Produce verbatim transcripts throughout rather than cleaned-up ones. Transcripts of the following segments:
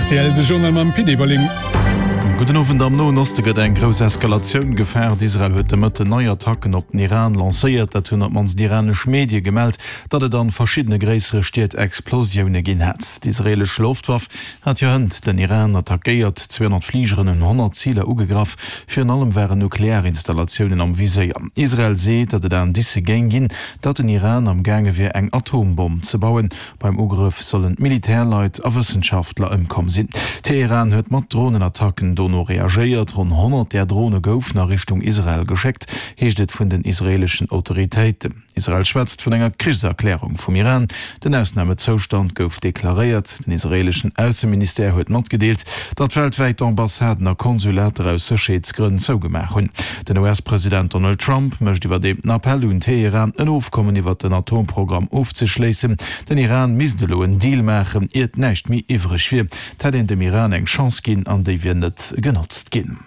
Rtl, de Journal mam Pit Everling. Gudden Owend, Am Noen Oste gëtt eng grouss Eskalatioun gefaart. Israel huet de Mëtten nei Attacken op den Iran lancéiert. Dat hunn op d'mannst iranesch Medie gemellt, datt et an verschiddene gréissere Stied Explosioune ginn hätt. D'israeelesch Loftwaff hat jo hënt den Iran attackéiert. zweehonnert Fligeren hunn honnert Ziler ugegraff. Virun allem waren Nuklearinstallatiounen am Viséier. Israel seet, datt et Indicë géing ginn, datt den Iran am gaange wier eng Atombomm ze bauen. Beim Ugrëff sollen Militärleit a Wëssenschaftler ëmkomm sinn. Teheran huet mat Dronenattacken dono reagéiert. Ronn honnert där Drone goufen a Richtung Israel geschéckt, heescht et vun den israeeleschen Autoritéiten. Israel schwätzt vun enger Krichserklärung vum Iran. Den Ausnamezoustand gouf deklaréiert. Den israeeleschen Ausseministère huet matgedeelt, datt weltwäit Ambassaden a Konsulater aus Sécherheetsgrënn zougemaach hunn. Den U S-President Donald Trump mécht iwwerdeem den Appell un Teheran, en Ofkommen iwwer den Atomprogramm ofzeschléissen. Den Iran misst elo en Deal maachen, iert näischt méi iwwreg wier. Et hätt een dem Iran eng Chance ginn an déi wier net genotzt ginn.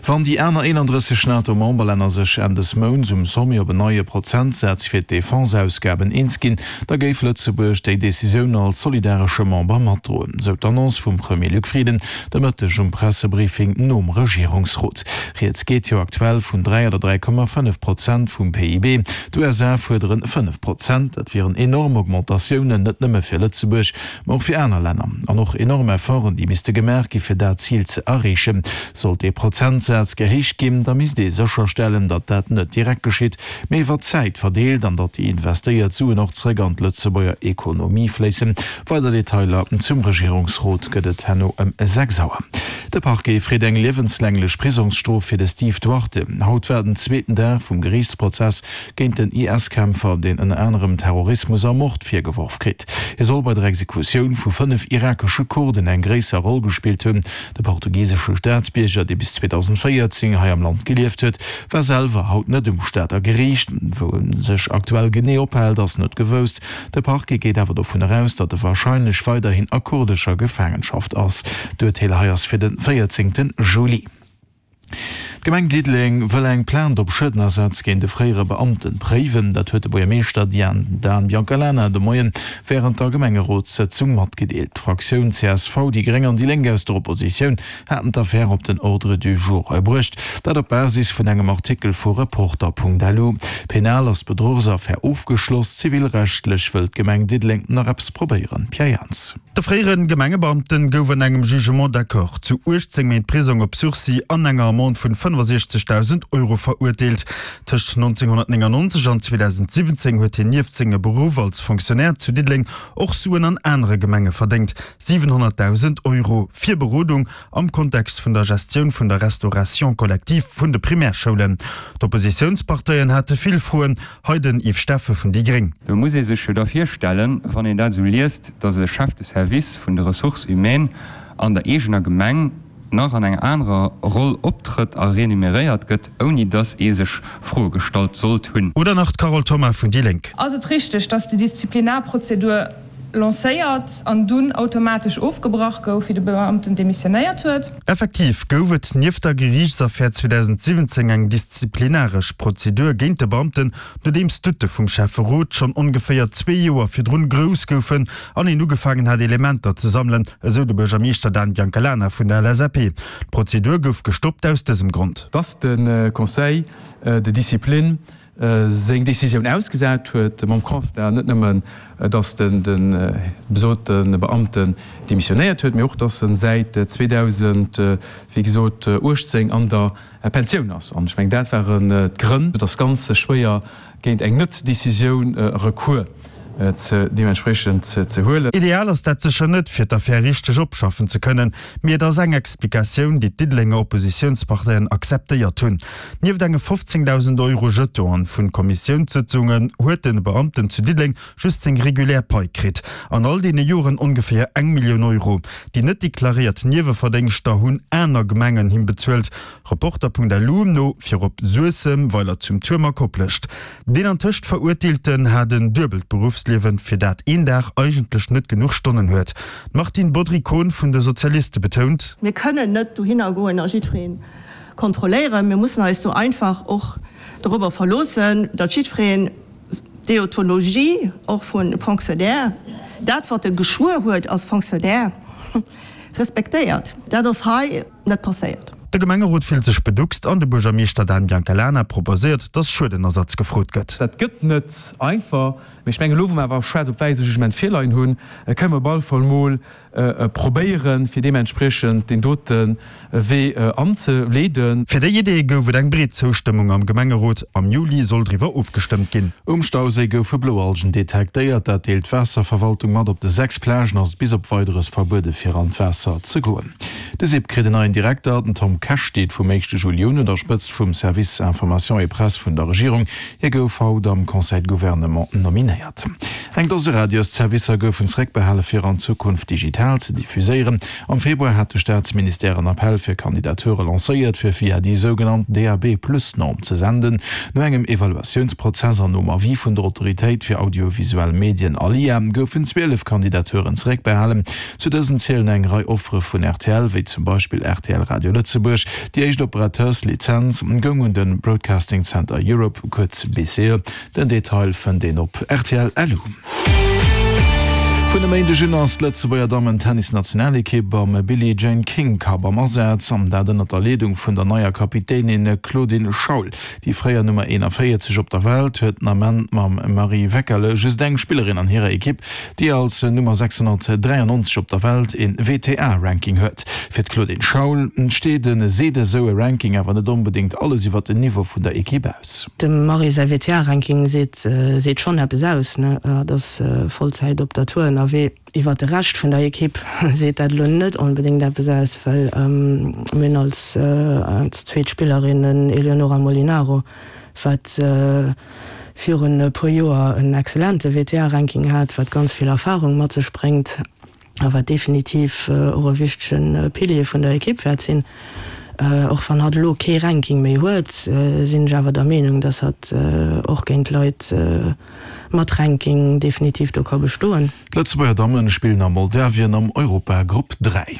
Wann déi aner eenandrësseg NATO-Memberlänner sech Enn des Mounts um Sommet op en neie Prozentsaz fir d'Defense-Ausgaben eens ginn, da géif Lëtzebuerg déi Decisioun als solidaresche Member matdroen, sou d'Annonce vum Premier Luc Frieden de Mëtteg um Pressebriefing nom Regierungsrot. Rieds geet jo aktuell vun dräi oder dräi Komma fënnef Prozent vum P I B. D'U S A fuerderen fënnef Prozent. Dat wieren enorm Augmentatiounen, net nëmme fir Lëtzebuerg, ma och fir aner Länner. An och enorm Efforten, déi misste gemaach gi fir dat Zil ze erreechen. Sollt dee Prozentsaz gehéicht ginn, da misst ee sécherstellen, datt dat net direkt geschitt, mee iwwer d'Zäit verdeelt an datt déi investéiert Suen och zréck an d'Lëtzebuerger Ekonomie fléissen. Weider Detailer zum Regierungsrot gëtt et herno ëm sechs Auer. De Parquet freet eng liewenslänglech Prisongsstrof fir de Steve Duarte. Haut war den zweeten Dag vum Geriichtsprozess géint den I S-Kämpfer, deen ënner anerem Terrorismus a Mord virgeworf kritt. Hie soll bei der Exekutioun vu fënnef irakesche Kurden eng gréisser Roll gespillt hunn. De portugisesche Staatsbierger, dee bis zweedausendvéierzéng hei am Land gelieft huet, war selwer haut net um Stater Geriicht. Wou e sech aktuell genee ophält, ass net gewousst. De Parquet geet awer dovun eraus, datt e warscheinlech weiderhin a kurdescher Gefaangenschaft ass. D'Urteel hei ass fir de véierzéngte Juli. D'Gemeng Diddeleng wëll eng Plainte op Schuedenersatz géint e fréiere Beamten préiwen. Dat huet de Buergermeeschter Dan Biancalana de Moien wärend der Gemengerotssëtzung matgedeelt. D'Fraktioun C S V, déi Gréng an déi Lénk aus der Oppositioun haten d'Affär op den Ordre du jour bruecht. Dat op Basis vun engem Artikel vu Reporter Punkt L U. Penal ass d'Bedruchsaffär ofgeschloss, zivilrechtlech wëll d'Gemeng Diddeleng nach eppes probéieren. Pierre Jans. De fréiere Gemengebeamten gouf an engem Jugement d'accord zu uechtzéng Méint Prisong op Sursis an enger Amende vun fënnefasechzegdausend Euro verurteelt. Tëscht nonzénghonnertnéngannonzeg an zweedausendsiwwenzéng huet hien nieft sengem Beruff als Fonctionnaire zu Diddeleng och Suen an anere Gemenge verdéngt, siwenhonnertdausend Euro fir Berodung am Kontext vun der Gestioun vun der Restauration collective vun de Primärschoulen. D'Oppositiounsparteien hate vill Froen, hei den Yves Steffen vun déi Gréng. Do muss ee sech jo da virstellen, wann een dat esou liest, dass e Chef de Service vun de Ressources humaines an der eegener Gemeng nach an enger anerer Roll optrëtt a remuneréiert gëtt, ouni dass ee sech Froe gestallt sollt hunn. Oder nach d'Carole Thoma vun déi Lénk. Ass et richteg, dass déi Disziplinarprozedur lancéiert an dunn automatesch ofgebrach gouf, wéi de Beamten demissionéiert huet? Effektiv gouf et nieft der Geriichtsaffär zweedausendsiwwenzéng eng disziplinaresch Prozedur géint de Beamten, nodeems d'Doutte vum Schäfferot schonn ongeféier zwee Joer virdrun grouss goufen an een ugefaangen hat Elementer ze sammelen, esou de Buergermeeschter Dan Biancalana vun der L S A P. D'Prozedur gouf gestoppt aus dësem Grond. Dass de Conseil de discipline seng Décisioun ausgesat huet, mam Constat net nëmmen, dass de besote Beamten demissionéiert huet, mee och, dass en säit zweedausend, wéi gesot, uechtzéng an der Pensioun ass. An ech mengen, dat waren d'Grënn. Et ass ganz schwéier, géint eng Net-Décisioun Recours ze deementspriechend ze huelen. Ideal ass dat sécher net, fir d'Affär richteg opschaffen ze kënnen, mee et ass eng Explikatioun, déi d'Diddelenger Oppositiounsparteien akzeptéiert hunn. Nieft enge fofzéngdausend Euro Jetonen vun Kommissiounssëtzungen huet de Beamten zu Diddeleng just seng regulär Pai kritt. An all deene Joren ongeféier eng Millioun Euro. Déi net deklaréiert Nieweverdéngschter hunn aner Gemengen him bezuelt. Reporter Punkt L U no virop Suessem, Weiler zum Tuerm a Koplescht. Deen antëscht Verurteelten hat en duebelt Beruffsliewen, fir dat een Dag eigentlech net genuch Stonnen huet. D'Martine Bodry-Kohn vun de Sozialiste betount. Mir kënnen net dohinner goen a jiddweree kontrolléieren. Mir mussen eis do einfach och dorobber verloossen, datt jiddwereen d'Deontologie och vu Fonctionnaire, dat wat e geschwuer huet als Fonctionnaire, respektéiert. Dat ass hei net passéiert. De Gemengerot fillt sech beduckst an de Buergermeeschter Dan Biancalana proposéiert, datt Schuedenersatz gefrot gëtt. Dat gëtt net einfach, mee ech mengen, elo wou mer awer schwaarz op wäiss e Jugement virleien hunn, kënne mer op alle Fall mol probéieren, fir deementspriechend deen dote Wee anzeleeden. Fir déi Idee gouf et eng breet Zoustëmmung am Gemengerot. Am Juli soll driwwer ofgestëmmt ginn. Um Stauséi goufe Bloalgen detektéiert. Dat deelt d'Waasserverwaltung mat. Op de sechs Plagen ass et bis op Weideres verbuede fir an d'Waasser ze goen. De SIP kritt en neien Direkter. Den Tom Kesch steet vum éischte Juli un un der Spëtzt vum Service Information et Presse vun der Regierung. Hie gouf haut am Conseil de Gouvernement nominéiert. Eng Dose Radiosservicer goufen zeréckbehale fir an Zukunft digital ze diffuséieren. Am Februar hat de Staatsministère en Appell fir Kandidature lancéiert, fir via déi sougenannt D A B plus Norm ze senden. No engem Evaluatiounsprozess an nom Avis vun der Autoritéit fir audiovisuell Medien, ALIA, goufen zwielef Kandidaturen zeréckbehalen. Zu dësen zielen eng Rei Offere vun R T L, wéi zum Beispill R T L Radio Lëtzebuerg. Déi éischt Operateurslizenz goung un de Broadcasting Center Europe, kuerz B C E. Den Detail fënnt een op R T L L U. Vun e Méindeg un ass d'Lëtzebuerger Dammen-Tennis-Nationalekipp am Billie Jean King Cup am Asaz, an dat ënnert der Leedung vun der neier Kapitänin Claudine Schaul. Déi fréier Nummer eenanvéierzeg op der Welt huet den Ament mam Marie Weckerle just eng Spillerin an hirer Ekipp, déi als Nummer sechshonnertdräiannonzeg op der Welt een W T A-Ranking huet. Fir d'Claudine Schaul steet e seet esou e Ranking awer net onbedéngt alles iwwer den Niveau vun der Ekipp aus. Dem Marie säi W T A-Ranking seet seet schonn eppes aus, ne? Hatt ass Vollzäit op der Tour ënnerwee. Iwwer de Rescht vun der Ekipp seet dat elo net onbedéngt eppes aus, well mir hunn als als zweet Spillerin en Eleonora Molinaro, wat virun e puer Joer en excellente W T A-Ranking hat, wat ganz vill Erfarung mat sech bréngt a wat definitiv och e wichtege Pilier vun der Ekipp wäert sinn. Och wann hatt elo kee Ranking méi huet, sinn ech awer der Meenung, datt hatt och géint Leit mat Ranking definitiv do ka bestoen. D'Lëtzebuerger Dammen spillen a Moldawien am Europagrupp dräi.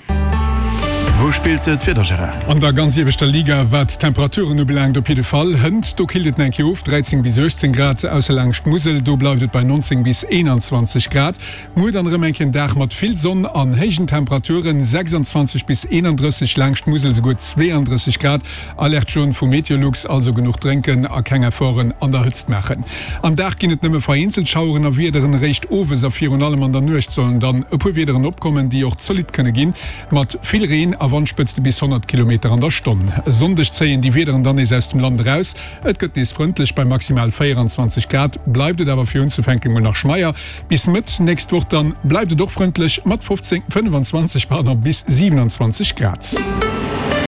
Wou spillt d'Wieder, Gérard? An der ganz ieweschter Liga wat d'Temperaturen ubelaangt op jidde Fall. Hënt, do killt et nach eng Kéier of, dräizéng bis uechtzéng Grad, ausser laangscht d'Musel, do bleift et bei nonzéng bis eenanzwanzeg Grad. Muer dann erëm eng Kéier en Dag mat vill Sonn an héijen Temperaturen, sechsanzwanzeg bis eenandrësseg, laangscht d'Musel esouguer zweeandrësseg Grad. Alerte jaune vu Meteolux, also genuch drénken a keng Efforten an der Hëtzt maachen. Am Dag ginn et nëmme vereenzelt Schaueren a Wiederen, eréischt owes a virun allem an der Nuecht sollen dann e puer Wiederen opkommen, déi och zolidd kënne ginn, mat vill Reen a Wandspëtzte bis honnert Kilometer an der Stonn. E Sonndeg zéien déi Wiederen dann nees aus dem Land eraus. Et gëtt nees frëndlech, bei maximal véieranzwanzeg Grad bleift et awer fir unzefänken mol nach schmeier. Bis Mëtt nächst Woch dann bleift et och frëndlech mat fofzéng, fënnefanzwanzeg, pardon, bis siwenanzwanzeg Grad.